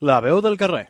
La veu del carrer.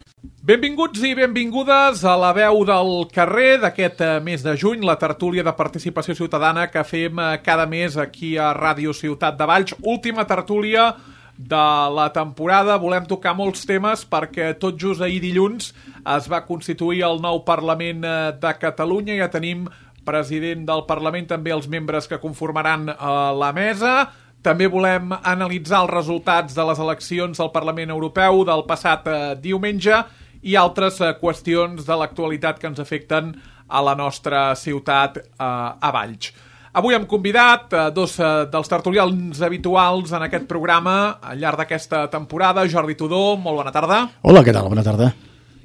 Benvinguts i benvingudes a La veu del carrer d'aquest mes de juny, la tertúlia de participació ciutadana que fem cada mes aquí a Ràdio Ciutat de Valls. Última tertúlia de la temporada. Volem tocar molts temes perquè tot just ahir dilluns es va constituir el nou Parlament de Catalunya. Ja tenim president del Parlament, també els membres que conformaran la mesa. També volem analitzar els resultats de les eleccions al Parlament Europeu del passat diumenge i altres qüestions de l'actualitat que ens afecten a la nostra ciutat, a Valls. Avui hem convidat dos dels tertulians habituals en aquest programa al llarg d'aquesta temporada. Jordi Tudó, molt bona tarda. Hola, què tal? Bona tarda.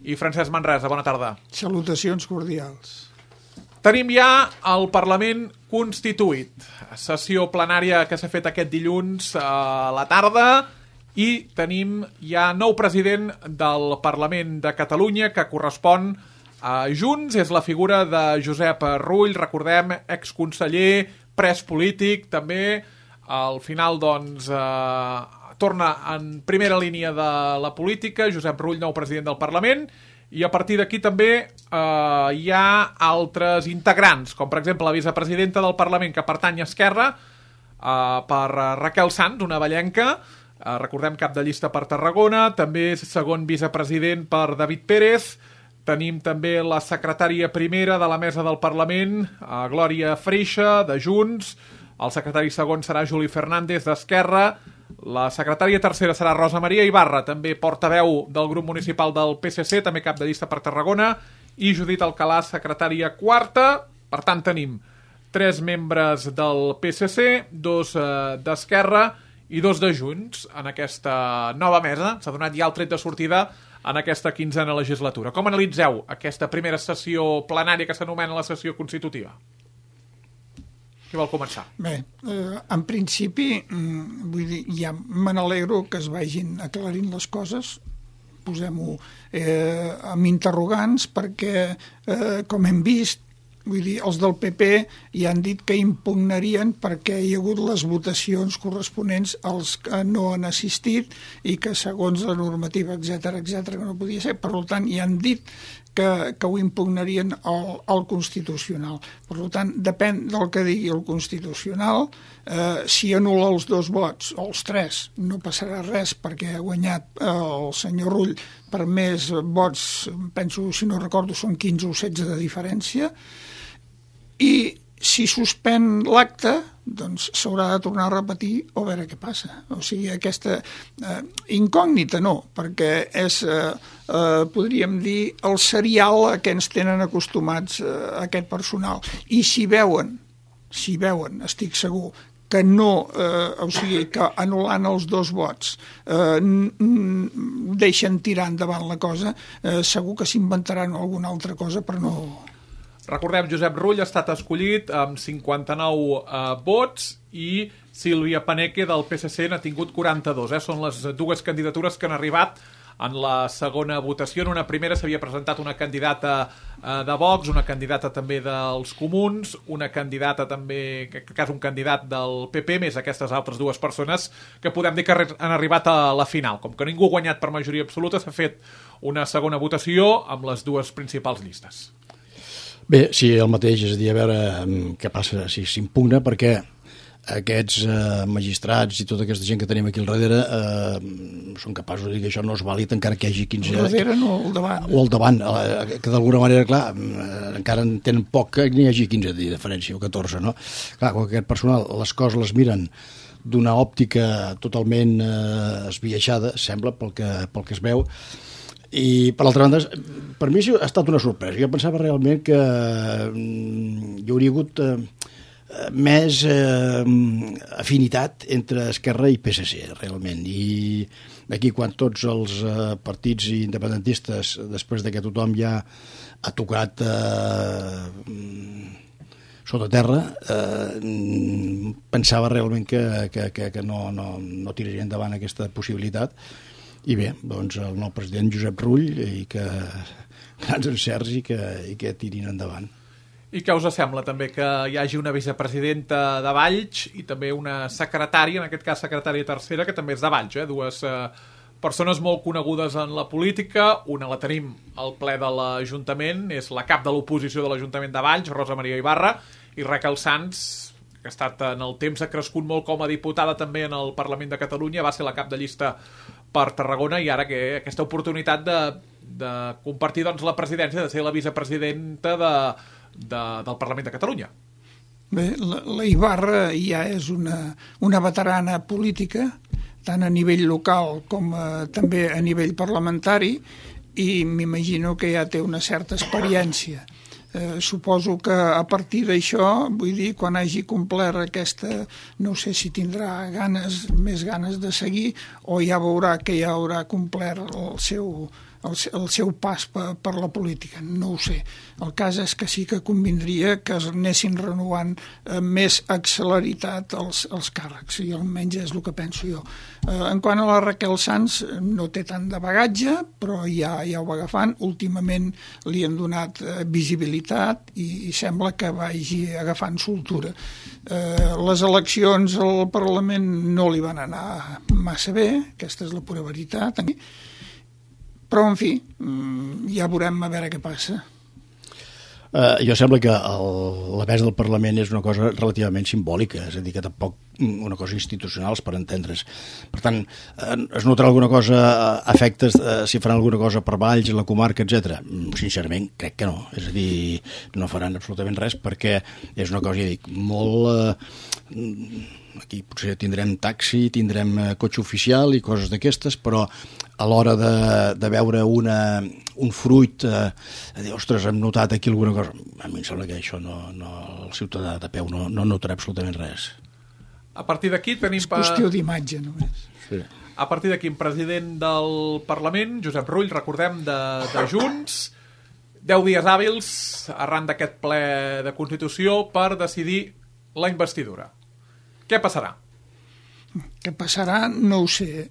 I Francesc Manresa, bona tarda. Salutacions cordials. Tenim ja el Parlament constituït. Sessió plenària que s'ha fet aquest dilluns a la tarda i tenim ja nou president del Parlament de Catalunya que correspon a Junts. És la figura de Josep Rull, recordem, exconseller, pres polític, també al final doncs torna en primera línia de la política. Josep Rull, nou president del Parlament. I a partir d'aquí també hi ha altres integrants, com per exemple la vicepresidenta del Parlament que pertany a Esquerra, per Raquel Sans, una vallenca, recordem cap de llista per Tarragona, també segon vicepresident per David Pérez. Tenim també la secretària primera de la mesa del Parlament, Glòria Freixa, de Junts. El secretari segon serà Juli Fernández, d'Esquerra. La secretària tercera serà Rosa Maria Ibarra, també portaveu del grup municipal del PSC, també cap de llista per Tarragona, i Judit Alcalà, secretària quarta. Per tant, tenim 3 membres del PSC, 2 d'Esquerra i 2 de Junts en aquesta nova mesa. S'ha donat ja el tret de sortida en aquesta 15a legislatura. Com analitzeu aquesta primera sessió plenària que s'anomena la sessió constitutiva? Qui vol començar? Bé, en principi, vull dir, ja me n'alegro que es vagin aclarint les coses, posem-ho amb interrogants, perquè, com hem vist, vull dir, els del PP ja han dit que impugnarien perquè hi ha hagut les votacions corresponents als que no han assistit i que segons la normativa, etcètera, que no podia ser. Per tant, ja han dit que ho impugnarien al Constitucional. Per tant, depèn del que digui el Constitucional. Si anul·la els 2 vots, o els 3, no passarà res perquè ha guanyat el senyor Rull per més vots, penso, si no recordo, són 15 o 16 de diferència. I si suspèn l'acte, doncs s'haurà de tornar a repetir o a veure què passa. O sigui, aquesta incògnita no, perquè és, podríem dir, el serial a què ens tenen acostumats aquest personal. I si veuen, estic segur, que no, o sigui, que anul·lant els 2 vots deixen tirar endavant la cosa, segur que s'inventaran alguna altra cosa per no... Recordem, Josep Rull ha estat escollit amb 59 vots i Sílvia Paneque del PSC n'ha tingut 42. Són les 2 candidatures que han arribat en la segona votació. En una primera s'havia presentat una candidata de Vox, una candidata també dels Comuns, una candidata també, en aquest cas un candidat del PP, més aquestes altres 2 persones que podem dir que han arribat a la final. Com que ningú ha guanyat per majoria absoluta, s'ha fet una segona votació amb les 2 principals llistes. Bé, sí, el mateix, és a dir, a veure què passa, si s'impugna, perquè aquests magistrats i tota aquesta gent que tenim aquí al darrere són capaços de dir que això no és vàlid encara que hi hagi 15... Al darrere no, al davant. O al davant, que d'alguna manera, clar, encara en tenen poc que n'hi hagi 15 de diferència o 14, no? Clar, quan aquest personal les coses les miren d'una òptica totalment esbiaixada, sembla, pel que es veu. I, per l'altra banda, per mi ha estat una sorpresa. Jo pensava realment que hi hauria hagut més afinitat entre Esquerra i PSC, realment. I aquí, quan tots els partits independentistes, després de que tothom ja ha tocat sota terra, pensava realment que no tiraria endavant aquesta possibilitat. I bé, doncs el nou president Josep Rull, i que grans encerts i que tirin endavant. I què us sembla també que hi hagi una vicepresidenta de Valls i també una secretària, en aquest cas secretària tercera, que també és de Valls, 2 persones molt conegudes en la política. Una la tenim al ple de l'Ajuntament, és la cap de l'oposició de l'Ajuntament de Valls, Rosa Maria Ibarra, i Raquel Sans, que ha estat en el temps, ha crescut molt com a diputada també en el Parlament de Catalunya, va ser la cap de llista per Tarragona, i ara que aquesta oportunitat de compartir doncs, la presidència, de ser la vicepresidenta del Parlament de Catalunya. Bé, la Ibarra ja és una veterana política, tant a nivell local com també a nivell parlamentari, i m'imagino que ja té una certa experiència. Suposo que a partir d'això, vull dir, quan hagi complert aquesta, no sé si tindrà més ganes de seguir, o ja veurà que ja haurà complert el seu pas per la política, no ho sé. El cas és que sí que convindria que es anessin renovant amb més celeritat els càrrecs, i almenys és el que penso jo. En quant a la Raquel Sans, no té tant de bagatge, però ja ho va agafant. Últimament li han donat visibilitat i sembla que vagi agafant soltura. Les eleccions al Parlament no li van anar massa bé, aquesta és la pura veritat, però, en fi, ja veurem a veure què passa. Jo sembla que la mesa del Parlament és una cosa relativament simbòlica, és a dir, que tampoc una cosa institucional, per entendre's. Per tant, es notarà alguna cosa a efectes, si faran alguna cosa per Valls, la comarca, etc. Sincerament, crec que no. És a dir, no faran absolutament res, perquè és una cosa, ja dic, molt... Aquí potser tindrem taxi, tindrem cotxe oficial i coses d'aquestes, però a l'hora de veure un fruit, dir, ostres, hem notat aquí alguna cosa, a mi em sembla que això el ciutadà de peu no notarà absolutament res. A partir d'aquí tenim... És qüestió d'imatge, només. Sí. A partir d'aquí, president del Parlament, Josep Rull, recordem, de Junts, 10 dies hàbils arran d'aquest ple de Constitució per decidir la investidura. Què passarà? Què passarà? No ho sé.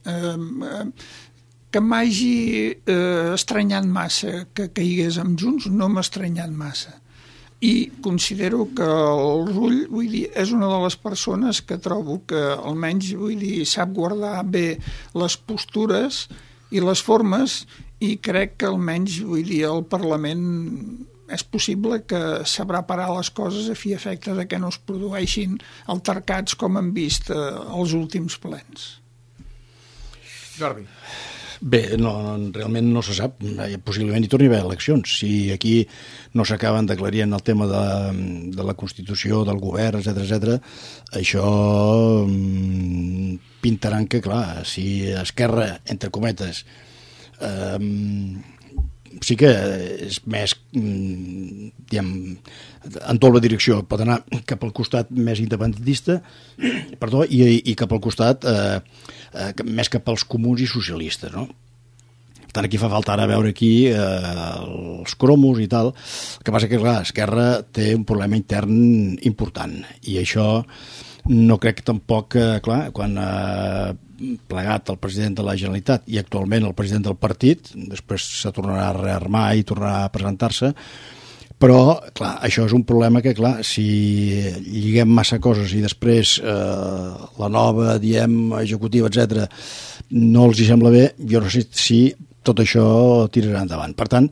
Que m'hagi estranyat massa que caigués amb Junts, no m'ha estranyat massa. I considero que el Rull, vull dir, és una de les persones que trobo que almenys, vull dir, sap guardar bé les postures i les formes, i crec que almenys, vull dir, el Parlament és possible que sabrà parar les coses a fi i efecte de que no es produeixin altercats com hem vist als últims plens. Jordi. Bé, realment no se sap. Possiblement hi torni a haver eleccions. Si aquí no s'acaben d'aclarir en el tema de la Constitució, del govern, etc., això pintaran que, clar, si Esquerra, entre cometes, sí que és més, diguem, en tota la direcció, pot anar cap al costat més independentista, i cap al costat més cap als comuns i socialistes, no? Per tant, aquí fa falta ara veure aquí els cromos i tal. El que passa que, clar, Esquerra té un problema intern important, i això no crec tampoc que, clar, quan plegat el president de la Generalitat i actualment el president del partit, després se tornarà a rearmar i tornarà a presentar-se, però, clar, això és un problema que, clar, si lliguem massa coses i després la nova, executiva, etc., no els hi sembla bé, jo no sé si tot això tirarà endavant. Per tant,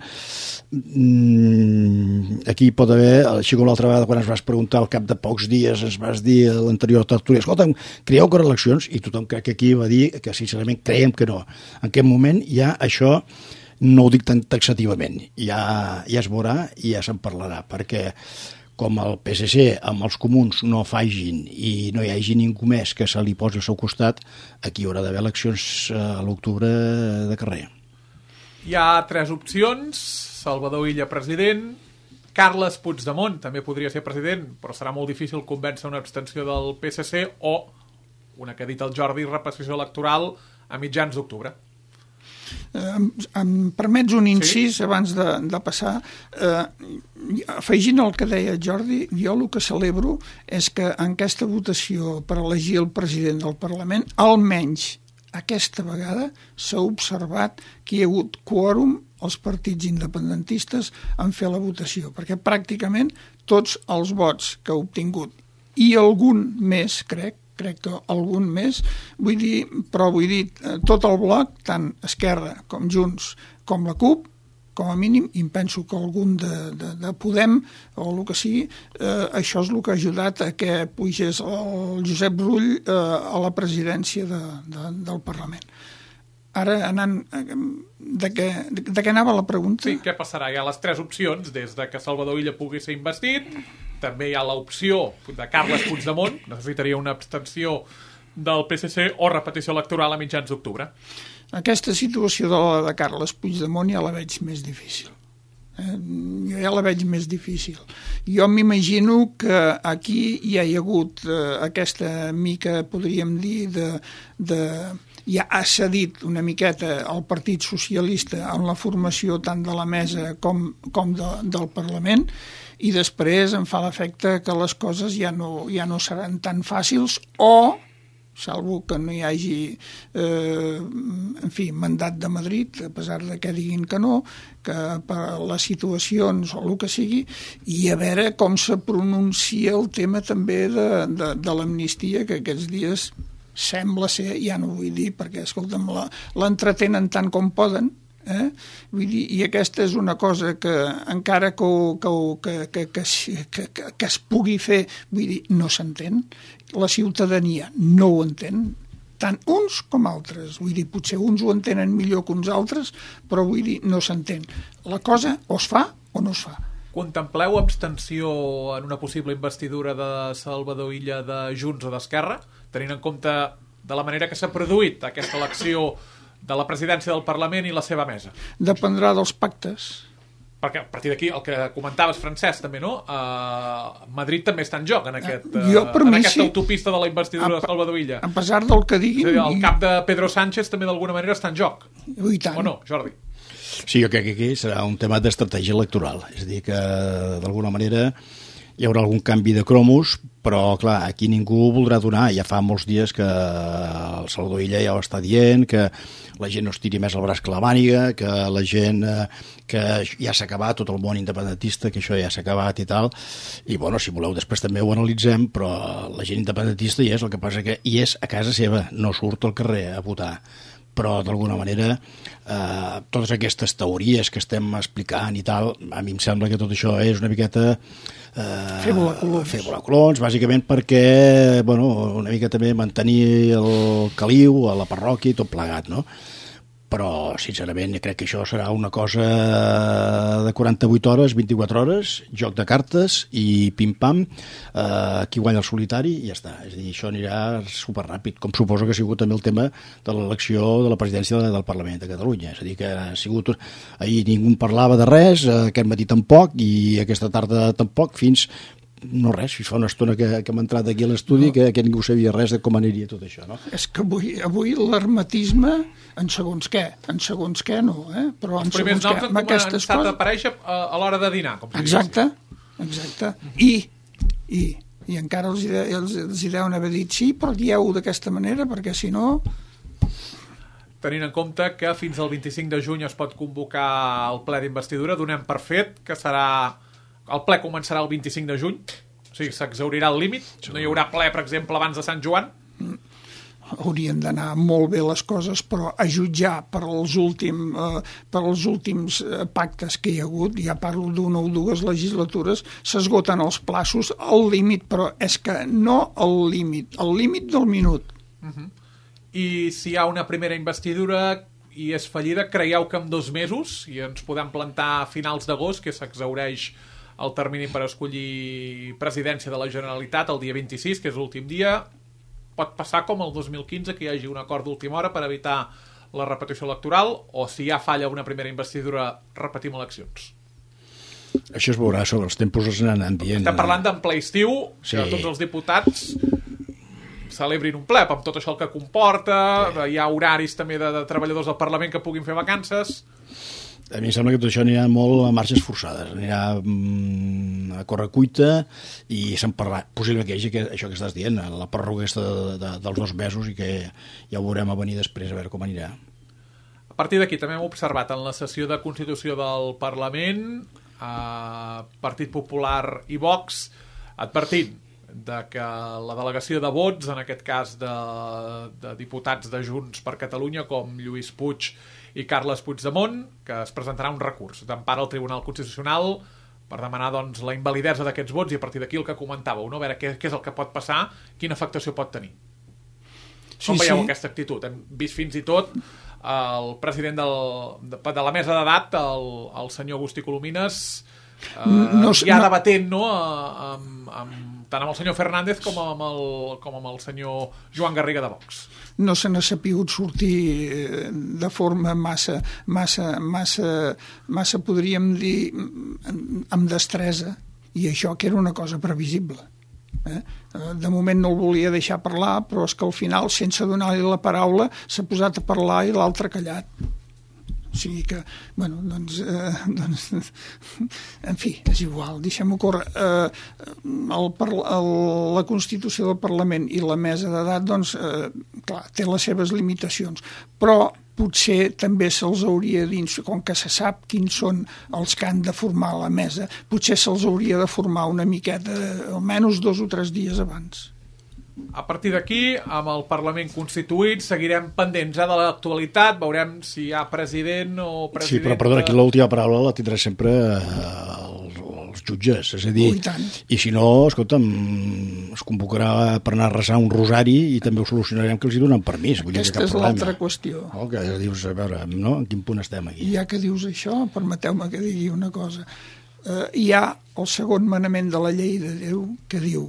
aquí pot haver, així com l'altra vegada quan es vas preguntar al cap de pocs dies, es vas dir a l'anterior tertúlia, escolta'm, creieu que eleccions? I tothom crec que aquí va dir que sincerament creiem que no. En aquest moment ja això no ho dic tan taxativament, ja es veurà i ja se'n parlarà, perquè com el PSC amb els comuns no facin i no hi hagi ningú més que se li posi al seu costat, aquí hi haurà d'haver eleccions a l'octubre de carrer. Hi ha 3 opcions: Salvador Illa president, Carles Puigdemont també podria ser president, però serà molt difícil convèncer una abstenció del PSC, o una que ha dit el Jordi, repetició electoral a mitjans d'octubre. Em permets un incís, sí? Abans de passar, afegint el que deia Jordi, jo el que celebro és que en aquesta votació per elegir el president del Parlament, almenys aquesta vegada s'ha observat que hi ha hagut quòrum els partits independentistes en fer la votació, perquè pràcticament tots els vots que ha obtingut i algun més, crec, crec que algun més, vull dir, tot el bloc, tant Esquerra com Junts com la CUP, com a mínim, i em penso que algun de Podem, o el que sigui, això és el que ha ajudat a que pugés el Josep Rull a la presidència del Parlament. Ara, anant... De què anava la pregunta? Sí, què passarà? Hi ha les 3 opcions, des de que Salvador Illa pugui ser investit, també hi ha l'opció de Carles Puigdemont, necessitaria una abstenció del PSC o repetició electoral a mitjans d'octubre. Aquesta situació de Carles Puigdemont ja la veig més difícil. Jo ja la veig més difícil. Jo m'imagino que aquí hi ha hagut aquesta mica, podríem dir, ja ha cedit una miqueta al Partit Socialista en la formació tant de la mesa com del Parlament, i després em fa l'efecte que les coses ja no seran tan fàcils, o salvo que no hi hagi mandat de Madrid, a pesar de que diguin que no, que per les situacions o el que sigui, i a veure com se pronuncia el tema també de l'amnistia, que aquests dies sembla ser, ja no vull dir, perquè escolta'm, l'entretenen tant com poden, vull dir, i aquesta és una cosa que encara que es pugui fer, vull dir, no s'entén, la ciutadania no ho entén, tant uns com altres, vull dir, potser uns ho entenen millor que uns altres, però vull dir, no s'entén. La cosa o es fa o no es fa. Contempleu abstenció en una possible investidura de Salvador Illa de Junts o d'Esquerra, tenint en compte de la manera que s'ha produït aquesta elecció de la presidència del Parlament i la seva mesa? Dependrà dels pactes. Perquè a partir d'aquí, el que comentaves, Francesc, també, no? Madrid també està en joc en aquesta autopista de la investidura de Salvador Illa. A pesar del que diguin... El cap de Pedro Sánchez també d'alguna manera està en joc. I tant. O no, Jordi? Sí, jo crec que aquí serà un tema d'estratègia electoral. És a dir, que d'alguna manera hi haurà algun canvi de cromos, però, clar, aquí ningú voldrà donar. Ja fa molts dies que el Salvador Illa ja ho està dient, que la gent no es tiri més el braç que la màniga, que la gent que ja s'ha acabat, tot el món independentista, que això ja s'ha acabat i tal. I, bueno, si voleu, després també ho analitzem, però la gent independentista hi és, el que passa que hi és a casa seva, no surt al carrer a votar. Però, d'alguna manera, totes aquestes teories que estem explicant i tal, a mi em sembla que tot això és una miqueta... fer volar colons, bàsicament perquè, bueno, una mica també mantenir el caliu a la parròquia i tot plegat, no? Però, sincerament, crec que això serà una cosa de 48 hores, 24 hores, joc de cartes i pim-pam, qui guanya el solitari i ja està. És a dir, això anirà superràpid, com suposo que ha sigut també el tema de l'elecció de la presidència del Parlament de Catalunya. És a dir, que ha sigut... Ahir ningú parlava de res, aquest matí tampoc, i aquesta tarda tampoc, fins... No res, fa una estona que hem entrat aquí a l'estudi que ningú sabia res de com aniria tot això, no? És que avui l'hermetisme, en segons què no, però en segons què, amb aquestes coses... Han començat a aparèixer a l'hora de dinar, com si exacte. I encara els deuen haver dit sí, però dieu d'aquesta manera, perquè si no... Tenint en compte que fins al 25 de juny es pot convocar el ple d'investidura, donem per fet que serà... El ple començarà el 25 de juny, o sigui, s'exhaurirà el límit, no hi haurà ple, per exemple, abans de Sant Joan. Haurien d'anar molt bé les coses, però a jutjar per els últims pactes que hi ha hagut, ja parlo d'una o dues legislatures, s'esgoten els plaços al límit, però és que no al límit del minut. I si hi ha una primera investidura i és fallida, creieu que en 2 mesos, i ens podem plantar a finals d'agost, que s'exhaureix el termini per escollir presidència de la Generalitat el dia 26, que és l'últim dia, pot passar com el 2015, que hi hagi un acord d'última hora per evitar la repetició electoral, o si ja falla una primera investidura, repetim eleccions? Això es veurà, sobre els tempos es n'anen dient. Estem parlant d'en ple estiu, sí. Que tots els diputats celebrin un ple, amb tot això el que comporta, hi ha horaris també de treballadors del Parlament que puguin fer vacances... A mi em sembla que tot això anirà molt a marxes forçades, anirà a correcuita i se'n parlarà. Possible que hi hagi això que estàs dient, la pròrroga dels 2 mesos i que ja ho veurem a venir després a veure com anirà. A partir d'aquí també hem observat en la sessió de Constitució del Parlament Partit Popular i Vox advertint, de que la delegació de vots, en aquest cas de diputats de Junts per Catalunya, com Lluís Puig i Carles Puigdemont, que es presentarà un recurs d'empara al Tribunal Constitucional per demanar doncs, la invalidesa d'aquests vots, i a partir d'aquí el que comentàveu, no? A veure què és el que pot passar, quina afectació pot tenir. Com veieu aquesta actitud? Hem vist fins i tot el president de la mesa d'edat, el senyor Agustí Colomines, ja debatent, no?, tant amb el senyor Fernández com amb el senyor Joan Garriga de Vox. No se n'ha sapigut sortir de forma massa, podríem dir, amb destresa, i això que era una cosa previsible. De moment no el volia deixar parlar, però és que al final, sense donar-li la paraula, s'ha posat a parlar i l'altre callat. O sigui que, bueno, doncs en fi, és igual, deixem-ho córrer. La Constitució del Parlament i la mesa d'edat, doncs, clar, té les seves limitacions, però potser també se'ls hauria dins, com que se sap quins són els que han de formar la mesa, potser se'ls hauria de formar una miqueta, almenys 2 o 3 dies abans. A partir d'aquí, amb el Parlament constituït, seguirem pendents de l'actualitat, veurem si hi ha president o presidenta... Sí, però perdona, aquí l'última paraula la tindrà sempre els jutges, és a dir, i si no, escolta'm, es convocarà per anar a resar un rosari i també ho solucionarem que els hi donen permís. Aquesta és l'altra qüestió. Que dius, a veure, no? En quin punt estem aquí? Ja que dius això, permeteu-me que digui una cosa. Hi ha el segon manament de la llei de Déu que diu: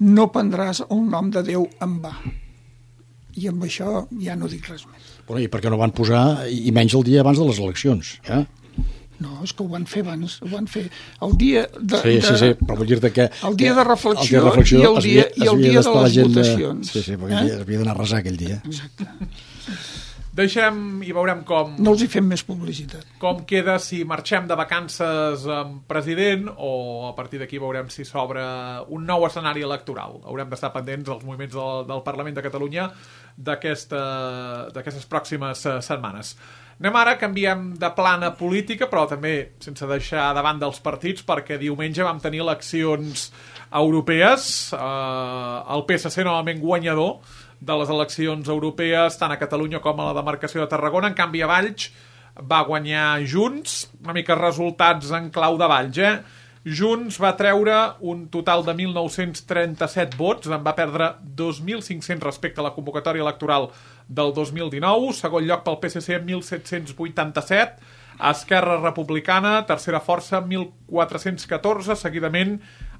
no prendràs el nom de Déu en va. I amb això ja no dic res més. Bueno, i per què no van posar, i menys el dia abans de les eleccions? No, és que ho van fer abans, ho van fer el dia de... Sí, però vull dir-te que... El dia de reflexió i el dia de les votacions. Sí, perquè havia d'anar a resar aquell dia. Exacte. Deixem i veurem com... No els hi fem més publicitat. Com queda si marxem de vacances amb president o a partir d'aquí veurem si s'obre un nou escenari electoral. Haurem d'estar pendents dels moviments del Parlament de Catalunya d'aquestes pròximes setmanes. Anem ara, canviem de plana política, però també sense deixar davant dels partits, perquè diumenge vam tenir eleccions europees. El PSC novament guanyador de les eleccions europees, tant a Catalunya com a la demarcació de Tarragona. En canvi, a Valls va guanyar Junts, una mica resultats en clau de Valls, Junts va treure un total de 1.937 vots, en va perdre 2.500 respecte a la convocatòria electoral del 2019, segon lloc pel PSC 1.787, Esquerra Republicana, tercera força 1.414, seguidament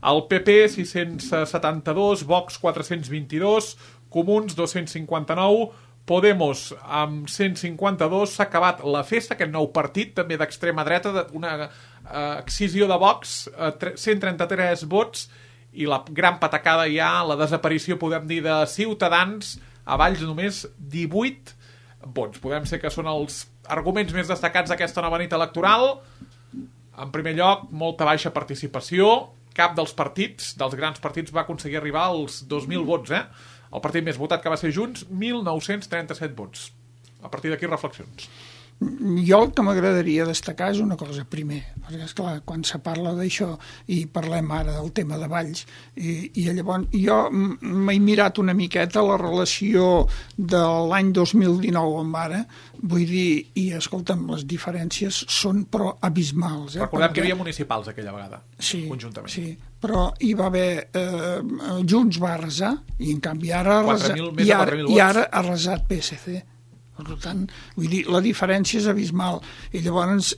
el PP 672, Vox 422, Comuns 259, Podemos amb 152. S'ha acabat la festa, aquest nou partit també d'extrema dreta, una excisió de Vox, 133 vots, i la gran patacada ja, la desaparició, podem dir, de Ciutadans, a Valls només 18 vots. Podem ser que són els arguments més destacats d'aquesta nova nit electoral. En primer lloc, molta baixa participació, cap dels partits, dels grans partits, va aconseguir arribar als 2.000 vots, El partit més votat, que va ser Junts, 1.937 vots. A partir d'aquí, reflexions. Jo el que m'agradaria destacar és una cosa, primer, perquè, esclar, quan se parla d'això, i parlem ara del tema de Valls, i llavors jo m'he mirat una miqueta la relació de l'any 2019 amb ara, vull dir, i escolta'm, les diferències són però abismals. Recordem que hi havia municipals aquella vegada, conjuntament. Sí, però hi va haver... Junts va arrasar, i en canvi ara ha arrasat PSC. Per tant, vull dir, la diferència és abismal. I llavors,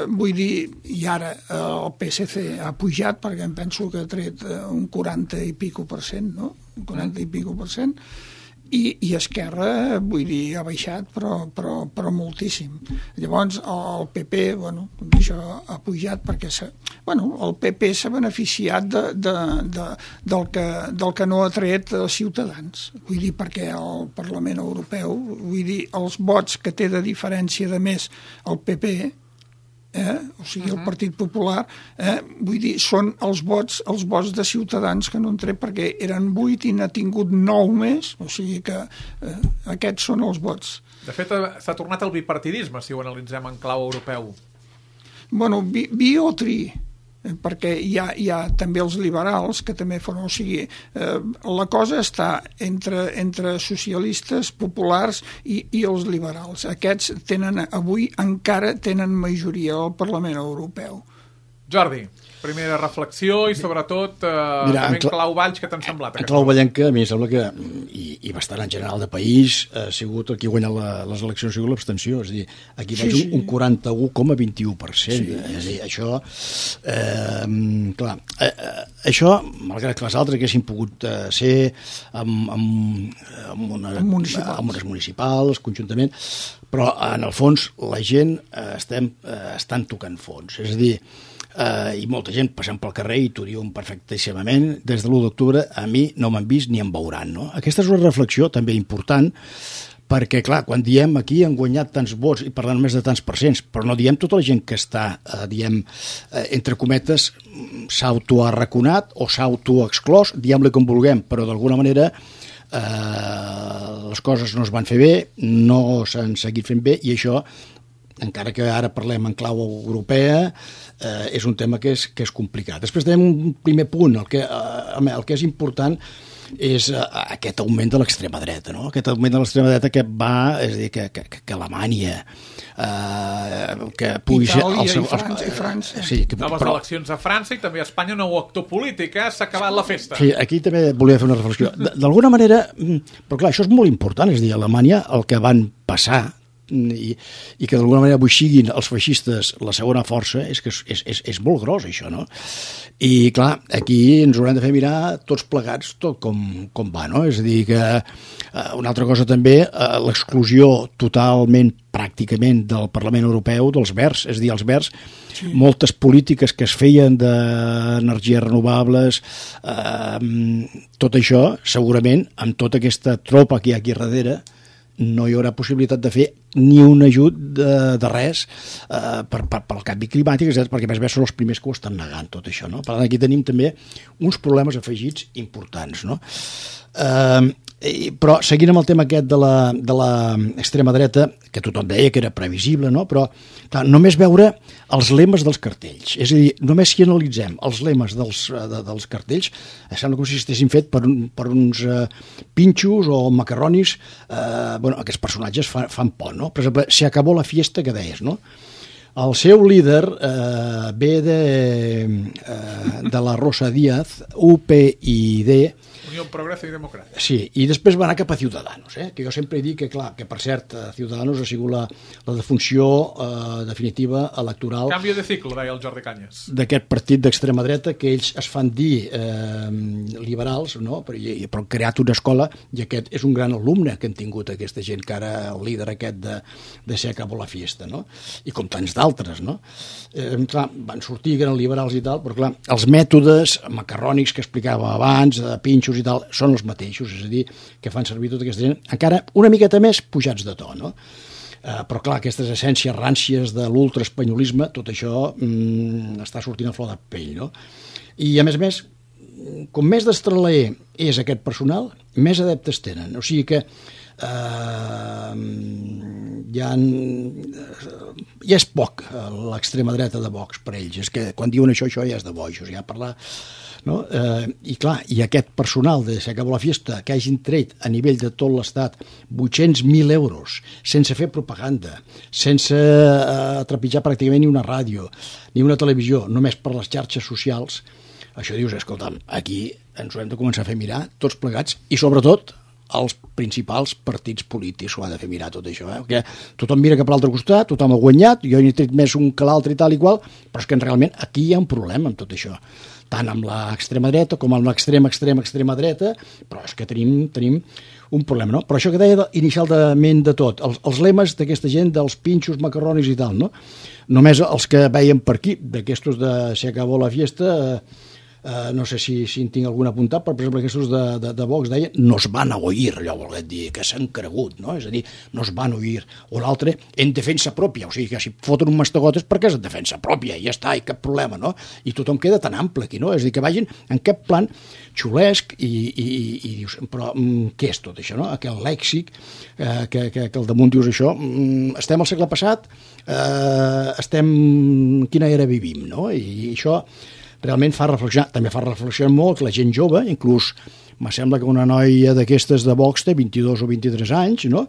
vull dir, i ara el PSC ha pujat, perquè em penso que ha tret un 40 i pico per cent, no? Un 40 i pico per cent. I Esquerra, vull dir, ha baixat, però moltíssim. Llavors, el PP, bueno, això ha pujat perquè el PP s'ha beneficiat del que no ha tret Ciutadans. Vull dir, perquè el Parlament Europeu, vull dir, els vots que té de diferència de més el PP, o sigui, el Partit Popular, vull dir, són els vots de Ciutadans que no han tret, perquè eren 8 i n'ha tingut 9 més, o sigui que aquests són els vots. De fet, s'ha tornat el bipartidisme, si ho analitzem en clau europeu. Bueno, bi o tri. perquè hi ha també els liberals que també fan, o sigui, la cosa està entre socialistes, populars i els liberals. Aquests avui encara tenen majoria al Parlament Europeu. Jordi, primera reflexió i sobretot en clau Valls, què t'han semblat? En clau vallenca, a mi em sembla que, i bastant en general de país, ha sigut el que ha guanyat les eleccions, ha sigut l'abstenció, és a dir, aquí vaig un 41,21%. És a dir, això, clar, això, malgrat que les altres haguessin pogut ser amb unes municipals, conjuntament, però en el fons la gent estan tocant fons, és a dir, i molta gent passant pel carrer i t'ho diuen perfectíssimament, des de l'1 d'octubre a mi no m'han vist ni em veuran, no? Aquesta és una reflexió també important, perquè clar, quan diem aquí han guanyat tants vots i parlant més de tants percents, però no diem tota la gent que està, entre cometes, s'autoarraconat o s'autoexclòs, diem-li com vulguem, però d'alguna manera les coses no es van fer bé, no s'han seguit fent bé, i això, encara que ara parlem en clau europea, és un tema que és complicat. Després tenim un primer punt, el que és important és aquest augment de l'extrema dreta, no? Aquest augment de l'extrema dreta que va, és a dir, que Alemanya, que pugui ser... Itàlia i França. Sí, noves eleccions a França i també a Espanya, un nou actor polític, s'ha acabat la festa. Sí, aquí també volia fer una reflexió. D'alguna manera, però clar, això és molt important, és a dir, a Alemanya el que van passar i que d'alguna manera avui siguin els feixistes la segona força, és que és molt gros això, no? I clar, aquí ens haurem de fer mirar tots plegats tot com va, no? És a dir que una altra cosa també, l'exclusió totalment, pràcticament, del Parlament Europeu dels Verds, és a dir, els Verds, moltes polítiques que es feien d'energies renovables, tot això, segurament, amb tota aquesta tropa que hi ha aquí darrere, no hi haurà possibilitat de fer ni un ajut de res pel canvi climàtic, perquè a més són els primers que ho estan negant, tot això, no? Per tant, aquí tenim també uns problemes afegits importants, no? Però seguint amb el tema aquest de l'extrema dreta, que tothom deia que era previsible, no? Però clar, només veure els lemes dels cartells, és a dir, només si analitzem els lemes dels cartells, sembla com si estessin fet per uns pinxos o macarronis, aquests personatges fan por, no? Per exemple, se acabó la fiesta, que deies, no? El seu líder ve de la Rosa Díaz, UPyD, Unió Progreso i Democràcia. Sí, i després va anar cap a Ciudadanos, que jo sempre dic que, clar, que per cert, Ciudadanos ha sigut la defunció definitiva electoral... Canvi de cicle, deia el Jordi Cañas. ...d'aquest partit d'extrema dreta, que ells es fan dir liberals, no? Però han creat una escola, i aquest és un gran alumne que han tingut aquesta gent, que ara el líder aquest de Se acabó la fiesta, no? I com tants d'altres, no? Clar, van sortir, que eren liberals i tal, però clar, els mètodes macarrònics que explicava abans, de pinxos i tal, són els mateixos, és a dir, que fan servir tota aquesta gent, encara una miqueta més pujats de to, no? Però clar, aquestes essències ràncies de l'ultraespanyolisme, tot això està sortint a flor de pell, no? I a més, com més destraler és aquest personal, més adeptes tenen, o sigui que ja és poc l'extrema dreta de Vox per ells, és que quan diuen això ja és de bojos, ja parlar, no? I clar, i aquest personal de Se acabó la fiesta, que hagin tret a nivell de tot l'estat 800.000 euros sense fer propaganda, sense trepitjar pràcticament ni una ràdio ni una televisió, només per les xarxes socials, això dius, escolta'm, aquí ens ho hem de començar a fer mirar tots plegats, i sobretot els principals partits polítics ho ha de fer mirar tot això, perquè tothom mira cap a l'altre costat, tothom ha guanyat, jo n'he tret més un que l'altre i tal i qual, però és que realment aquí hi ha un problema amb tot això, tant amb l'extrema dreta com amb l'extrema dreta, però és que tenim un problema, no? Però això que deia inicialment de tot, els lemes d'aquesta gent, dels pinxos, macarronis i tal, no? Només els que veiem per aquí, d'aquestos de Se acabó la fiesta, no sé si en tinc algun apuntat, però per exemple aquests de Vox deien nos van a oír, allò volguet dir que s'han cregut, no? És a dir, nos van a oír, o l'altre en defensa pròpia, o sigui que si foten un mastegotes perquè és en defensa pròpia, i ja està, i cap problema, no? I tothom queda tan ample aquí, no? És a dir, que vagin en cap plan xulesc i dius, però què és tot això, no? Aquell lèxic que al damunt dius això, estem al segle passat, estem quina era vivim, no? I això realment fa reflexionar, també fa reflexionar molt la gent jove, inclús me sembla que una noia d'aquestes de Vox té 22 o 23 anys, no?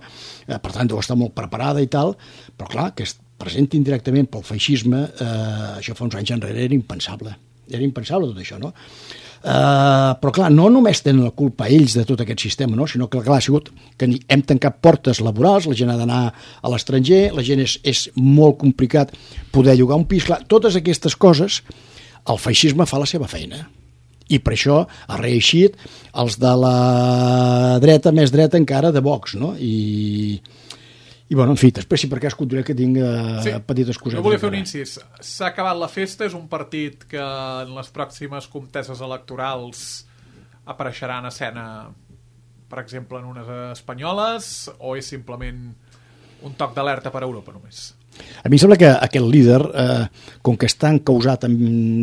Per tant, deu estar molt preparada i tal, però clar, que es presentin directament pel feixisme, això fa uns anys enrere era impensable tot això, no? Però clar, no només tenen la culpa ells de tot aquest sistema, no? Sinó que clar, ha sigut que hem tancat portes laborals, la gent ha d'anar a l'estranger, la gent és molt complicat poder llogar un pis, clar, totes aquestes coses el feixisme fa la seva feina i per això ha reeixit els de la dreta, més dreta encara, de Vox, no? I bueno, en fi, després si per cas continuaré que tinc petites cosetes. Jo volia fer un incís. S'ha acabat la festa, és un partit que en les pròximes conteses electorals apareixerà en escena, per exemple, en unes espanyoles, o és simplement un toc d'alerta per a Europa només? A mi em sembla que aquest líder, com que està encausat en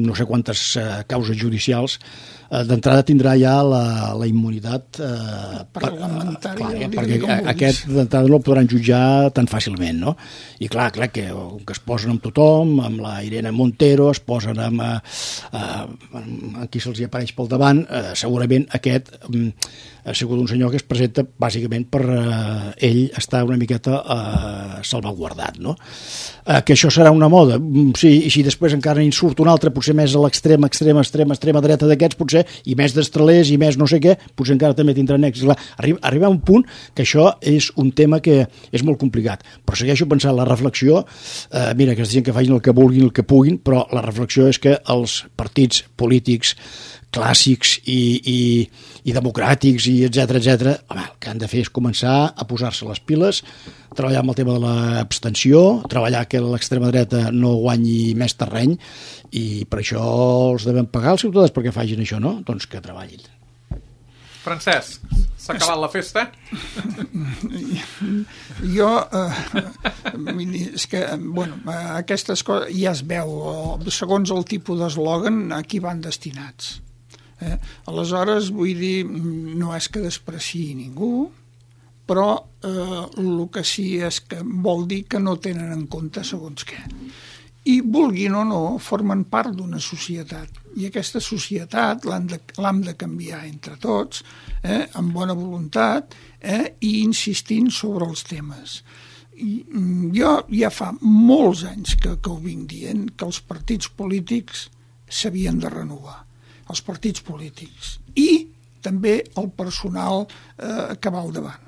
no sé quantes causes judicials, d'entrada tindrà ja la immunitat parlamentària, perquè aquest d'entrada no el podran jutjar tan fàcilment, no? I clar que es posen amb tothom, amb la Irene Montero, es posen amb qui se'ls hi apareix pel davant, segurament aquest ha sigut un senyor que es presenta bàsicament per ell estar una miqueta salvaguardat, no? Que això serà una moda, sí, i si després encara en surt un altre, potser més a l'extrema dreta d'aquests, potser, i més destralers i més no sé què, potser encara també tindran èxit. Arriba a un punt que això és un tema que és molt complicat, però segueixo pensant la reflexió, mira, que es diuen que facin el que vulguin, el que puguin, però la reflexió és que els partits polítics clàssics i democràtics i etcètera, home, el que han de fer és començar a posar-se les piles, treballar amb el tema de l'abstenció, treballar que l'extrema dreta no guanyi més terreny, i per això els devem pagar els ciutadans perquè facin això, no? Doncs que treballin. Francesc, s'ha acabat la festa? Jo, és que, bueno, aquestes coses ja es veu, segons el tipus d'eslògan, a qui van destinats. Aleshores, vull dir, no és que despreciï ningú, però el que sí és que vol dir que no tenen en compte segons què. I, vulguin o no, formen part d'una societat. I aquesta societat l'hem de canviar entre tots, amb bona voluntat, i insistint sobre els temes. Jo ja fa molts anys que ho vinc dient, que els partits polítics s'havien de renovar. Els partits polítics. I també el personal que va al davant.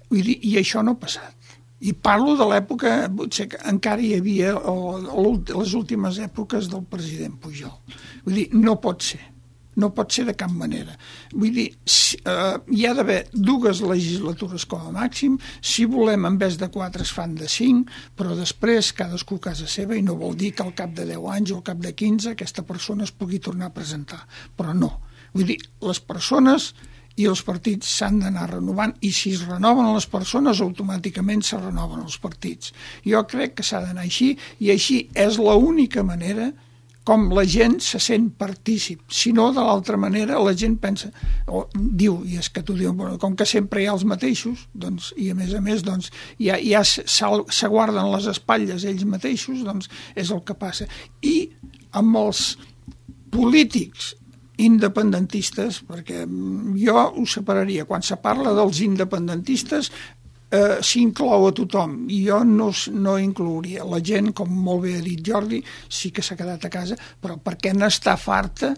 Vull dir, i això no ha passat. I parlo de l'època, potser que encara hi havia les últimes èpoques del president Pujol. Vull dir, no pot ser de cap manera. Vull dir, hi ha d'haver 2 legislatures com a màxim, si volem en vez de 4 es fan de 5, però després cadascú a casa seva, i no vol dir que al cap de 10 anys o al cap de 15 aquesta persona es pugui tornar a presentar, però no. Vull dir, les persones i els partits s'han d'anar renovant, i si es renoven les persones automàticament se renoven els partits. Jo crec que s'ha d'anar així, i així és l'única manera com la gent se sent partícip. Si no, de l'altra manera, la gent pensa, o diu, i és que tu dius, bueno, com que sempre hi ha els mateixos, doncs, i a més, doncs, ja s'aguarden les espatlles ells mateixos, doncs és el que passa. I amb els polítics independentistes, perquè jo ho separaria, quan se parla dels independentistes s'inclou a tothom, i jo no inclouria la gent, com molt bé ha dit Jordi, sí que s'ha quedat a casa, però perquè n'està farta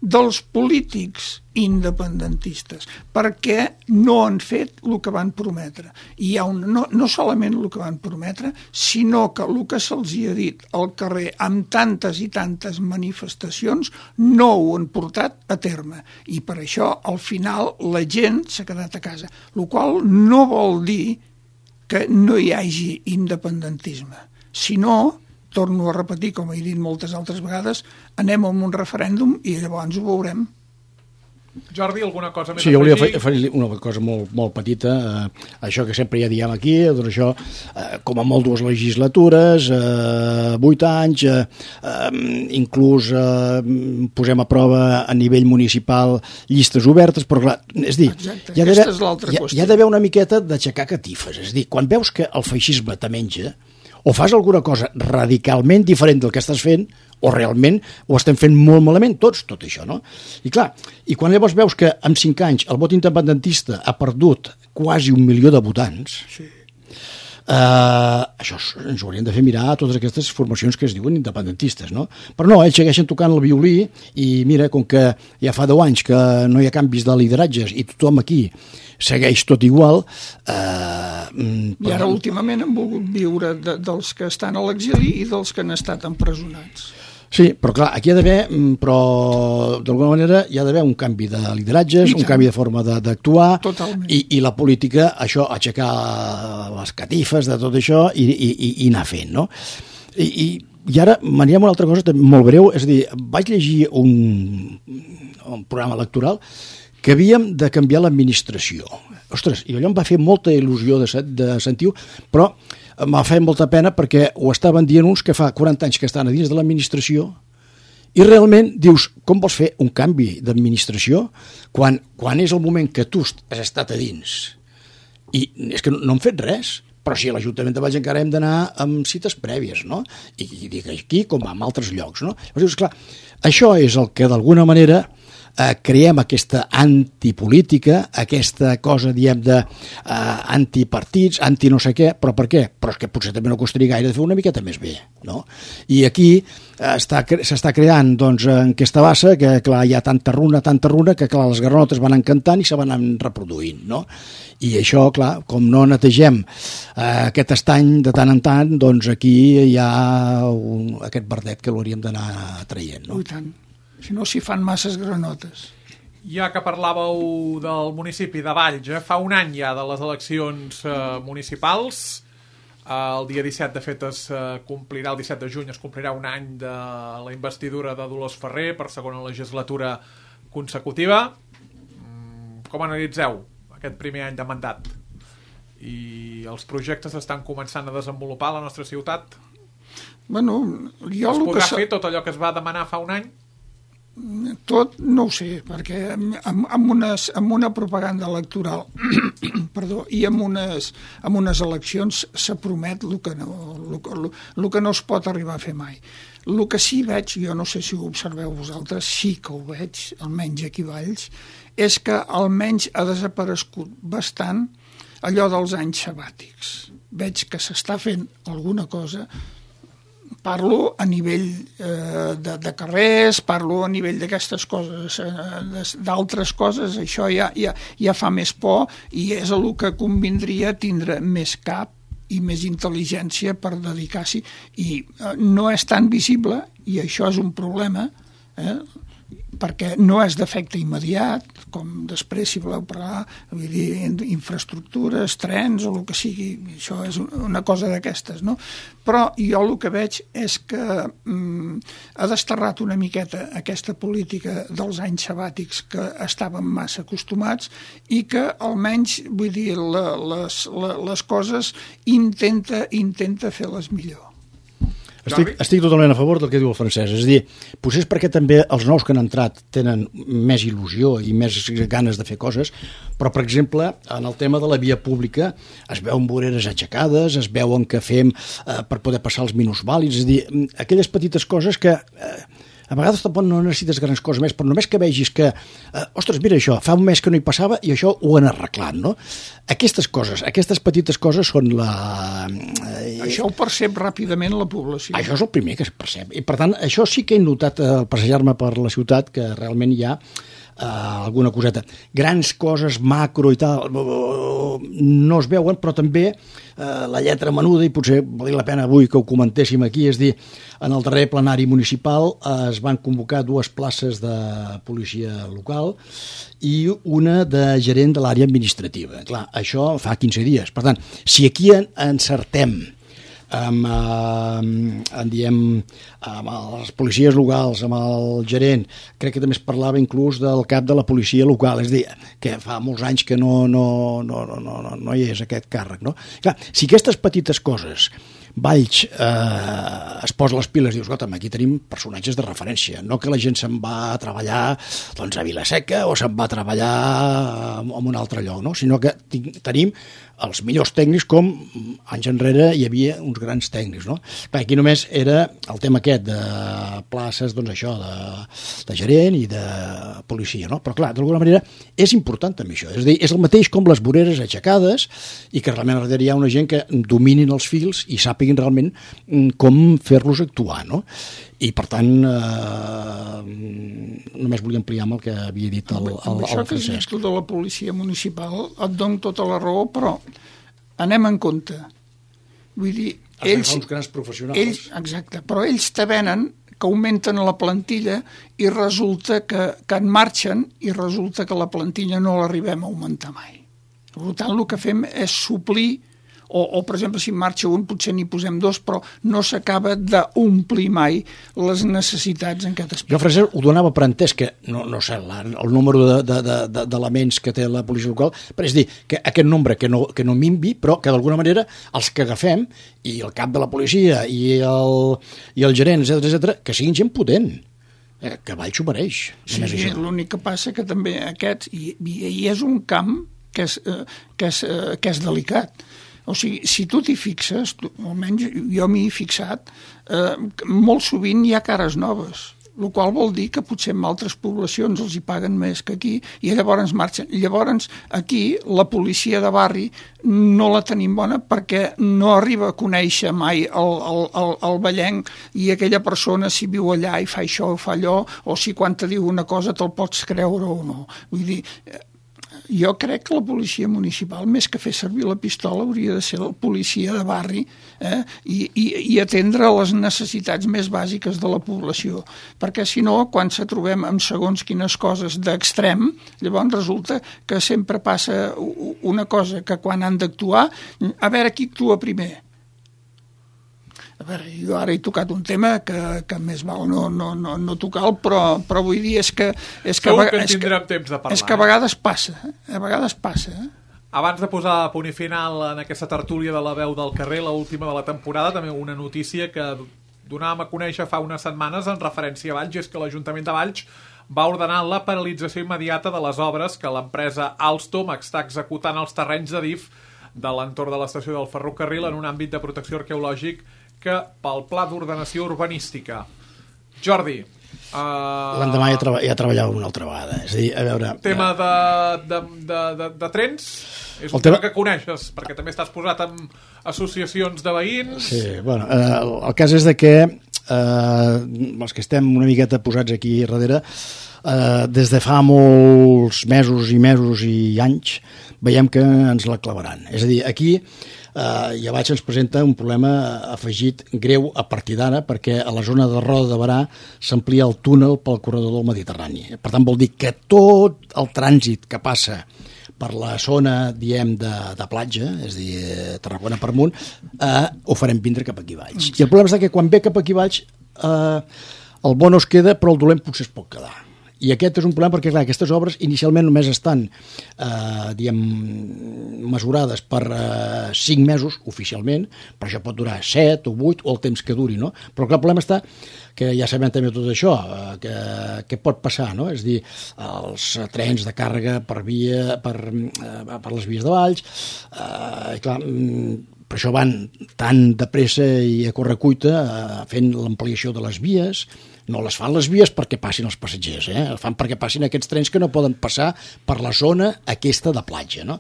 dels polítics independentistes, perquè no han fet el que van prometre. I hi ha no solament el que van prometre, sinó que el que se'ls ha dit al carrer amb tantes i tantes manifestacions no ho han portat a terme. I per això, al final, la gent s'ha quedat a casa, el qual no vol dir que no hi hagi independentisme, sinó, torno a repetir, com he dit moltes altres vegades, anem a un referèndum i llavors ho veurem. Jordi, alguna cosa més? Sí, jo volia fer una cosa molt petita, això que sempre ja diem aquí, doncs això, com a molt 2 legislatures, 8 anys, inclús posem a prova a nivell municipal llistes obertes, però clar, és dir, hi ha d'haver una miqueta d'aixecar catifes, és dir, quan veus que el feixisme te menja, o fas alguna cosa radicalment diferent del que estàs fent, o realment ho estem fent molt malament tots, tot això, no? I clar, i quan llavors veus que en 5 anys el vot independentista ha perdut quasi 1 milió de votants, Sí. Això ens ho haurien de fer mirar a totes aquestes formacions que es diuen independentistes, no? Però no, ells segueixen tocant el violí i mira, com que ja fa 10 anys que no hi ha canvis de lideratges i tothom aquí segueix tot igual... I ara últimament han volgut viure dels que estan a l'exili i dels que han estat empresonats. Sí, però clar, aquí hi ha d'haver, però d'alguna manera hi ha d'haver un canvi de lideratges, un canvi de forma d'actuar, i la política, això, aixecar les catifes de tot això i anar fent, no? I ara m'anirem a una altra cosa molt breu, és a dir, vaig llegir un programa electoral que havíem de canviar l'administració. Ostres, i allò em va fer molta il·lusió de sentir-ho, però m'ha fet molta pena perquè ho estaven dient uns que fa 40 anys que estan a dins de l'administració i realment dius, com vols fer un canvi d'administració quan és el moment que tu has estat a dins? I és que no han fet res, però si a l'Ajuntament de Valls encara hem d'anar amb cites prèvies, no? I dic aquí com en altres llocs, no? Llavors dius, clar, això és el que d'alguna manera creem aquesta antipolítica, aquesta cosa, diem, d'antipartits, anti no sé què, però per què? Però és que potser també no costaria gaire de fer una miqueta més bé, no? I aquí s'està creant, doncs, en aquesta bassa, que clar, hi ha tanta runa, que clar, les granotes van encantant i se van reproduint, no? I això, clar, com no netegem aquest estany de tant en tant, doncs aquí hi ha aquest verdet que l'hauríem d'anar traient, no? I tant. Si no, s'hi fan masses granotes. Ja que parlàveu del municipi de Valls, fa un any ja de les eleccions municipals, el dia 17, de fet, es complirà, el 17 de juny, es complirà un any de la investidura de Dolors Ferrer per segona legislatura consecutiva. Com analitzeu aquest primer any de mandat? I els projectes estan començant a desenvolupar a la nostra ciutat? Bueno, es podrà fer tot allò que es va demanar fa un any? Tot no ho sé, perquè amb una propaganda electoral perdó, i amb unes eleccions se promet el que no es pot arribar a fer mai. El que sí veig, jo no sé si ho observeu vosaltres, sí que ho veig, almenys aquí a Valls, és que almenys ha desaparegut bastant allò dels anys sabàtics. Veig que s'està fent alguna cosa. Parlo a nivell de carrers, parlo a nivell d'aquestes coses, d'altres coses, això ja fa més por i és el que convindria tindre més cap i més intel·ligència per dedicar-s'hi. I no és tan visible, i això és un problema, perquè no és d'efecte immediat, com després, si voleu parlar, vull dir, infraestructures, trens o el que sigui, això és una cosa d'aquestes, no? Però jo el que veig és que ha desterrat una miqueta aquesta política dels anys sabàtics que estàvem massa acostumats i que almenys, vull dir, les coses intenta fer-les millor. Estic totalment a favor del que diu el Francesc. És a dir, potser és perquè també els nous que han entrat tenen més il·lusió i més ganes de fer coses, però, per exemple, en el tema de la via pública es veuen voreres aixecades, es veuen que fem per poder passar els minusvàlids, és a dir, aquelles petites coses que... A vegades tampoc no necessites grans coses més, però només que vegis que, ostres, mira això, fa un mes que no hi passava i això ho han arreglat, no? Aquestes coses, aquestes petites coses són la... Això ho percep ràpidament la població. Això és el primer que es percep. I, per tant, això sí que he notat al passejar-me per la ciutat, que realment hi ha alguna coseta. Grans coses, macro i tal, no es veuen, però també la lletra menuda, i potser valia la pena avui que ho comentéssim aquí, és dir, en el darrer plenari municipal es van convocar 2 places de policia local i una de gerent de l'àrea administrativa. Clar, això fa 15 dies. Per tant, si aquí encertem amb les policies locals, amb el gerent, crec que també es parlava inclús del cap de la policia local, és a dir, que fa molts anys que no hi és aquest càrrec, no? Clar, si aquestes petites coses Valls es posa les piles i dius, escolta'm, aquí tenim personatges de referència, no que la gent se'n va a treballar doncs, a Vilaseca o se'n va a treballar en un altre lloc, no? Sinó que tenim els millors tècnics com anys enrere hi havia uns grans tècnics, no? Clar, aquí només era el tema aquest de places, doncs això, de gerent i de policia, no? Però clar, d'alguna manera és important també això, és a dir, és el mateix com les voreres aixecades i que realment darrere hi ha una gent que dominin els fils i sàpiguin realment com fer-los actuar, no? I per tant només volia ampliar amb el que havia dit el això que has dit Francesc. tu de la policia municipal et dono tota la raó, però anem en compte. Vull dir, ells... uns grans professionals. Exacte, però ells te venen que augmenten la plantilla i resulta que en marxen i resulta que la plantilla no l'arribem a augmentar mai. Per tant, el que fem és suplir o per exemple, si en marxa un, potser n'hi posem dos, però no s'acaba d'omplir mai les necessitats en aquest aspecte. Jo, Francesc, ho donava per entès que, no sé, el número d'elements que té la policia local, però és dir, que aquest nombre que no minvi, però que d'alguna manera els que agafem, i el cap de la policia, i el gerent, etc, que siguin gent potent. Que Valls ho mereix. Sí, l'únic que passa que també aquests, i és un camp que és delicat. O sigui, si tu t'hi fixes, almenys jo m'hi he fixat, molt sovint hi ha cares noves, el qual vol dir que potser en altres poblacions els hi paguen més que aquí i llavors marxen. Llavors aquí la policia de barri no la tenim bona perquè no arriba a conèixer mai el vellenc i aquella persona si viu allà i fa això o fa allò, o si quan te diu una cosa te'l pots creure o no. Vull dir, jo crec que la policia municipal, més que fer servir la pistola, hauria de ser la policia de barri i atendre les necessitats més bàsiques de la població. Perquè, si no, quan se trobem amb segons quines coses d'extrem, llavors resulta que sempre passa una cosa, que quan han d'actuar, a veure qui actua primer. A veure, jo ara he tocat un tema que més val no tocar-lo, però vull dir és que tindrem temps de parlar. És que a vegades passa, Abans de posar punt i final en aquesta tertúlia de la veu del carrer, l'última de la temporada, també una notícia que donàvem a conèixer fa unes setmanes en referència a Valls, és que l'Ajuntament de Valls va ordenar la paralització immediata de les obres que l'empresa Alstom està executant als terrenys de DIF de l'entorn de l'estació del ferrocarril en un àmbit de protecció arqueològic que pel pla d'ordenació urbanística. Jordi, l'endemà ja treballava una altra vegada. És a dir, a veure... Tema de trens? És un tema que coneixes, perquè també estàs posat en associacions de veïns. Sí, bueno, el cas és de que els que estem una miqueta posats aquí darrere, des de fa molts mesos i anys, veiem que ens la clavaran. És a dir, aquí ja vaig ens presenta un problema afegit greu a partir d'ara perquè a la zona de Roda de Berà s'amplia el túnel pel corredor del Mediterrani. Per tant, vol dir que tot el trànsit que passa per la zona, diem, de platja, és a dir, Tarragona per amunt, ho farem vindre cap aquí Valls. I el problema és que quan ve cap aquí Valls el bo no es queda, però el dolent potser es pot quedar. I aquest és un problema perquè, clar, aquestes obres inicialment només estan, mesurades per 5 mesos oficialment, però això pot durar 7 o 8 o el temps que duri, no? Però clar, el problema està que ja sabem també tot això, que pot passar, no? És a dir, els trens de càrrega per les vies de Valls, i clar, per això van tan de pressa i a correcuita fent l'ampliació de les vies. No les fan les vies perquè passin els passatgers, les fan perquè passin aquests trens que no poden passar per la zona aquesta de platja, no?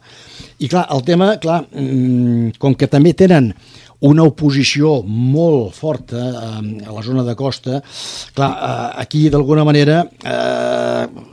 I clar, el tema, com que també tenen una oposició molt forta a la zona de costa, clar, aquí d'alguna manera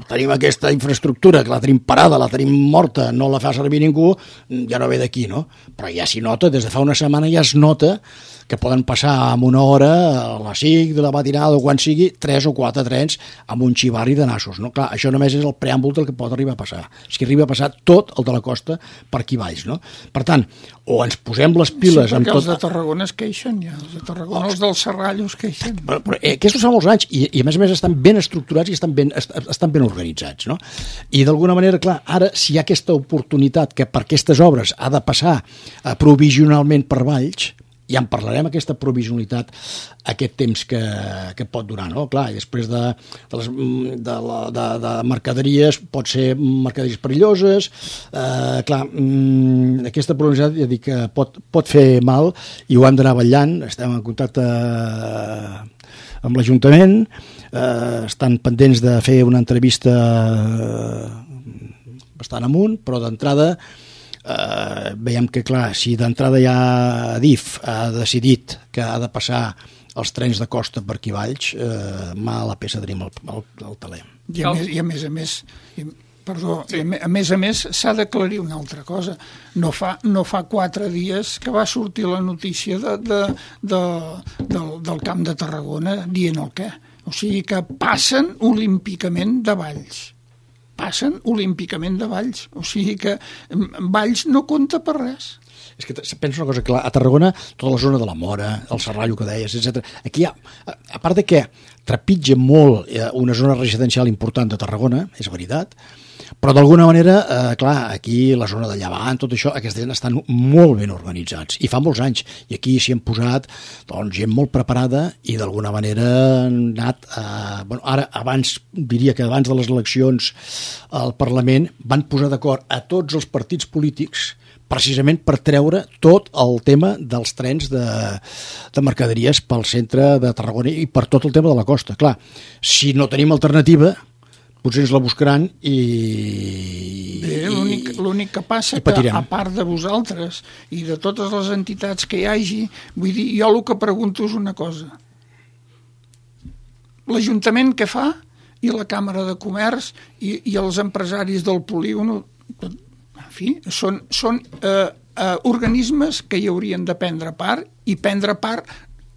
tenim aquesta infraestructura que la tenim parada, la tenim morta, no la fa servir ningú, ja no ve d'aquí, no? Però ja s'hi nota, des de fa una setmana ja es nota que poden passar en una hora, a les 5 de la matinada o quan sigui, 3 o 4 trens amb un xivarri de nassos, no? Clar, això només és el preàmbul del que pot arribar a passar. És que arriba a passar tot el de la costa per aquí Valls, no? Per tant, o ens posem les piles... Sí, perquè els de Tarragona es queixen, ja. Els de Tarragona, els del Serrallo es queixen. Però aquests fa molts anys i a més a més estan ben estructurats i estan ben organitzats, no? I d'alguna manera, clar, ara si hi ha aquesta oportunitat que per aquestes obres ha de passar provisionalment per Valls, ja en parlarem, aquesta provisionalitat, aquest temps que pot durar, no? Clar, i després de mercaderies, pot ser mercaderies perilloses, clar, aquesta provisionalitat, ja dic, que pot fer mal, i ho hem d'anar vetllant, estem en contacte amb l'Ajuntament, estan pendents de fer una entrevista bastant amunt, però d'entrada veiem que, clar, si d'entrada ja Adif ha decidit que ha de passar els trens de costa per aquí Valls, mala peça tenim al taler. I a més a més, s'ha d'aclarir una altra cosa. No fa 4 dies que va sortir la notícia del Camp de Tarragona dient el què. O sigui que passen olímpicament de Valls. O sigui que Valls no compta per res. És que penso una cosa, clar, a Tarragona, tota la zona de la Mora, el Serrallo que deies, etc. Aquí hi ha, a part de que trepitja molt una zona residencial important de Tarragona, és veritat, però d'alguna manera, clar, aquí la zona de Llevant, tot això, aquesta gent estan molt ben organitzats, i fa molts anys, i aquí s'hi han posat gent molt preparada i d'alguna manera han anat, ara diria que abans de les eleccions al Parlament van posar d'acord a tots els partits polítics precisament per treure tot el tema dels trens de mercaderies pel centre de Tarragona i per tot el tema de la costa. Clar, si no tenim alternativa, potser ens la buscaran i... Bé, l'únic que passa que, a part de vosaltres i de totes les entitats que hi hagi, vull dir, jo el que pregunto és una cosa. L'Ajuntament què fa? I la Càmera de Comerç i els empresaris del polígon... En fi, són organismes que hi haurien de prendre part i prendre part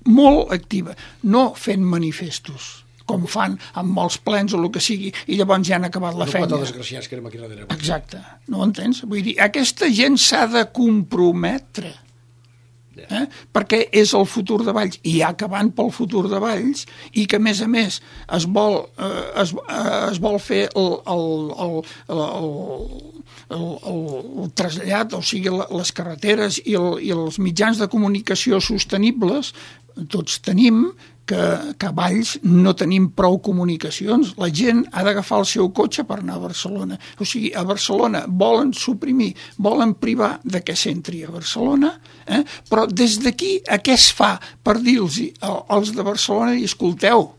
molt activa, no fent manifestos, com fan amb molts plens o el que sigui, i llavors ja han acabat la feina. Desgraciats que érem aquí darrere. Exacte, no ho entens? Vull dir, aquesta gent s'ha de comprometre, perquè és el futur de Valls, i acabant pel futur de Valls, i que a més es vol fer el trasllat, o sigui, les carreteres i els mitjans de comunicació sostenibles. Tots tenim que a Valls no tenim prou comunicacions. La gent ha d'agafar el seu cotxe per anar a Barcelona. O sigui, a Barcelona volen suprimir, volen privar de que s'entri a Barcelona, però des d'aquí a què es fa per dir-los als de Barcelona i escolteu,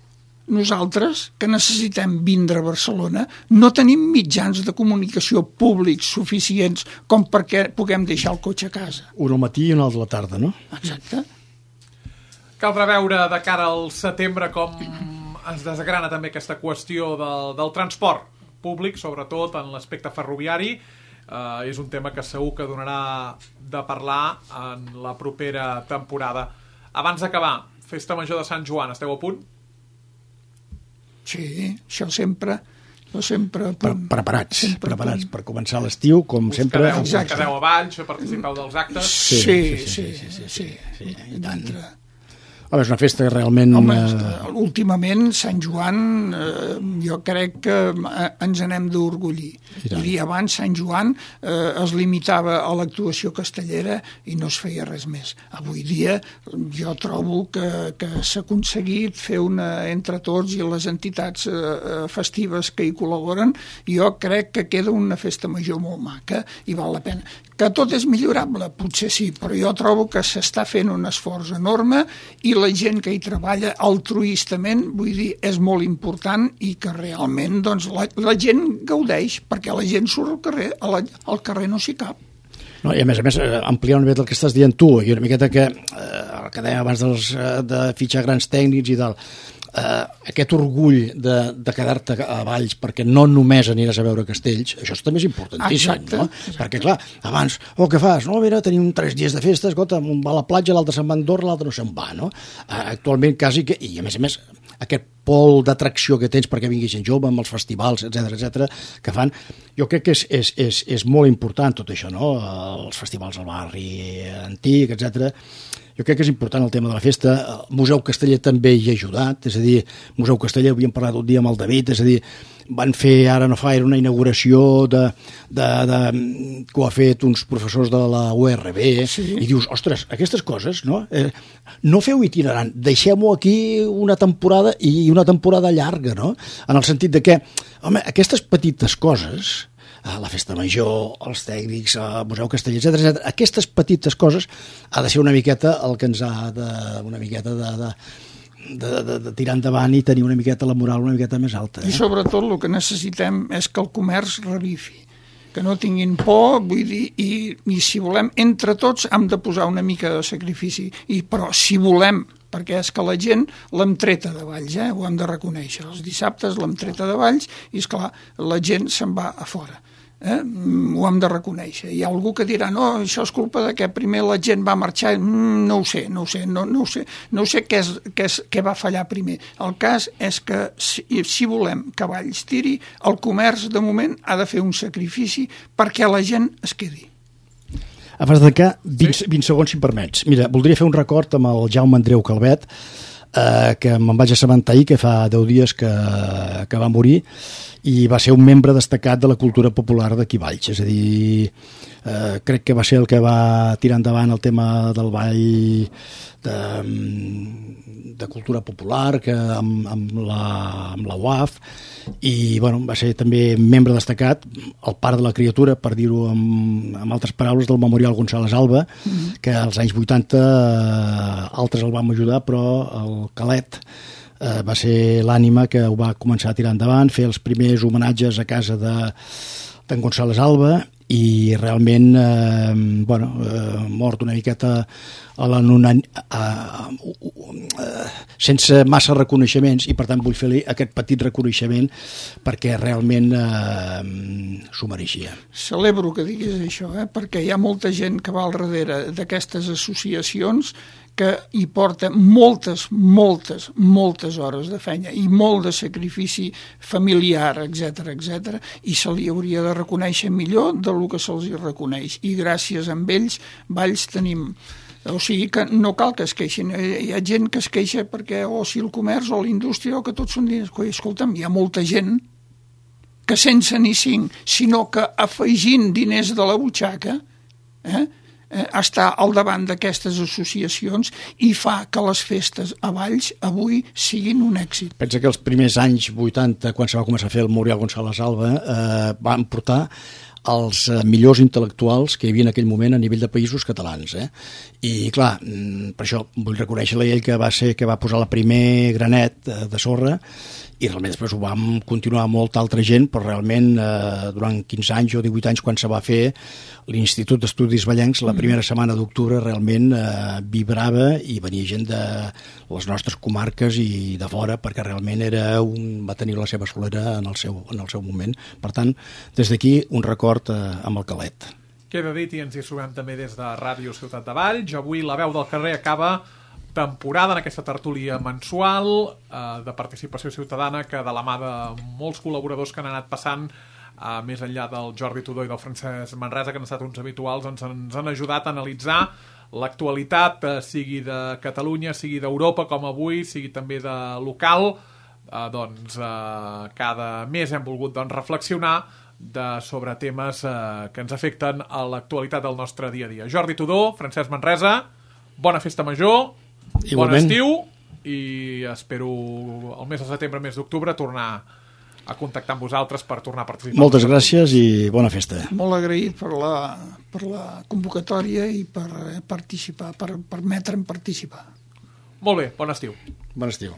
nosaltres, que necessitem vindre a Barcelona, no tenim mitjans de comunicació públics suficients com perquè puguem deixar el cotxe a casa. Un al matí i un altre a la tarda, no? Exacte. Caldrà veure de cara al setembre com es desgrana també aquesta qüestió del transport públic, sobretot en l'aspecte ferroviari. És un tema que segur que donarà de parlar en la propera temporada. Abans d'acabar, Festa Major de Sant Joan, esteu a punt? Sí, això sempre preparats per començar l'estiu, com sempre. Quedeu a Valls, participeu dels actes? Sí. I tant. És una festa que realment... Home, últimament, Sant Joan, jo crec que ens n'hem d'orgullir. I abans Sant Joan es limitava a l'actuació castellera i no es feia res més. Avui dia jo trobo que s'ha aconseguit fer entre tots i les entitats festives que hi col·laboren, jo crec que queda una festa major molt maca i val la pena. Que tot és millorable, potser sí, però jo trobo que s'està fent un esforç enorme i la gent que hi treballa altruistament, vull dir, és molt important i que realment doncs, la gent gaudeix, perquè la gent surt al carrer, al carrer no s'hi cap. No, i a més, ampliar una mica el que estàs dient tu, i una miqueta que el que dèiem abans de fitxar grans tècnics i tal, aquest orgull de quedar-te a Valls perquè no només aniràs a veure castells, això també és importantíssim. Exacte. No? Perquè clar, abans, què fas? No, mira, tenim 3 dies de festa, escolta, un va a la platja, l'altre se'n va a Andorra, l'altre no se'n va, no? Actualment quasi que, i a més, aquest pol d'atracció que tens perquè vingui gent jove amb els festivals, etc que fan, jo crec que és molt important tot això, no? Els festivals al barri antic, etc. jo crec que és important el tema de la festa. El Museu Casteller també hi ha ajudat, és a dir, Museu Casteller, havíem parlat un dia amb el David, és a dir, van fer ara no fa, era una inauguració que ho ha fet uns professors de la URB, i dius, ostres, aquestes coses, no? No feu itinerant, deixem-ho aquí una temporada i una temporada llarga, no? En el sentit de que, home, aquestes petites coses, la festa major, els tècnics, el Museu Casteller, etc. Aquestes petites coses ha de ser una miqueta el que ens ha de tirar endavant i tenir una miqueta la moral una miqueta més alta. I sobretot el que necessitem és que el comerç revifi, que no tinguin por, vull dir, i si volem, entre tots hem de posar una mica de sacrifici, però si volem, perquè és que la gent l'hem treta de Valls, ho hem de reconèixer. Els dissabtes l'hem treta de Valls i, esclar, la gent se'n va a fora. Ho hem de reconèixer. Hi ha algú que dirà, no, això és culpa de que primer la gent va marxar. No ho sé què va fallar primer. El cas és que si volem que Valls tiri, el comerç de moment ha de fer un sacrifici perquè la gent es quedi. Abans de que 20 segons, si em permets. Mira, voldria fer un record amb el Jaume Andreu Calvet, que me'n vaig assabentar ahir, que fa 10 dies que va morir, i va ser un membre destacat de la cultura popular d'aquí Valls. És a dir, crec que va ser el que va tirar endavant el tema del ball de cultura popular amb la UAF, i bueno, va ser també membre destacat, el pare de la criatura, per dir-ho amb altres paraules, del Memorial González Alba, que als anys 80 altres el vam ajudar, però el Calet va ser l'ànima que ho va començar a tirar endavant, fer els primers homenatges a casa d'en González Alba, i realment mort una miqueta sense massa reconeixements, i per tant vull fer-li aquest petit reconeixement perquè realment s'ho mereixia. Celebro que diguis això, perquè hi ha molta gent que va al darrere d'aquestes associacions que hi porta moltes hores de feina i molt de sacrifici familiar, etc, i se li hauria de reconèixer millor del que se'ls reconeix. I gràcies a ells, Valls tenim... O sigui que no cal que es queixin. Hi ha gent que es queixa perquè o si el comerç o la indústria o que tots són diners. Escolta'm, hi ha molta gent que sense ni 5, sinó que afegint diners de la butxaca, està al davant d'aquestes associacions i fa que les festes a Valls avui siguin un èxit. Pensa que els primers anys 80, quan se va començar a fer el Memorial González Alba, van portar els millors intel·lectuals que hi havia en aquell moment a nivell de països catalans. I clar, per això vull reconèixer-li a ell que va posar el primer granet de sorra, i realment després ho vam continuar molta altra gent, però realment durant 15 anys o 18 anys quan se va fer l'Institut d'Estudis Vallencs, la primera setmana d'octubre realment vibrava i venia gent de les nostres comarques i de fora, perquè realment va tenir la seva solera en el seu moment. Per tant, des d'aquí un record amb el Calet. Queda dit, i ens hi sumem també des de Ràdio Ciutat de Valls. Avui la veu del carrer acaba temporada en aquesta tertúlia mensual de participació ciutadana, que de la mà de molts col·laboradors que han anat passant, més enllà del Jordi Tudó i del Francesc Manresa, que han estat uns habituals, ens han ajudat a analitzar l'actualitat, sigui de Catalunya, sigui d'Europa, com avui, sigui també de local. Cada mes hem volgut reflexionar sobre temes que ens afecten a l'actualitat del nostre dia a dia. Jordi Tudó, Francesc Manresa, bona festa major, bon estiu, i espero el mes de setembre, mes d'octubre, tornar a contactar amb vosaltres per tornar a participar. Moltes gràcies i bona festa. Molt agraït per la convocatòria i per participar, per permetre'm participar. Molt bé, bon estiu. Bon estiu.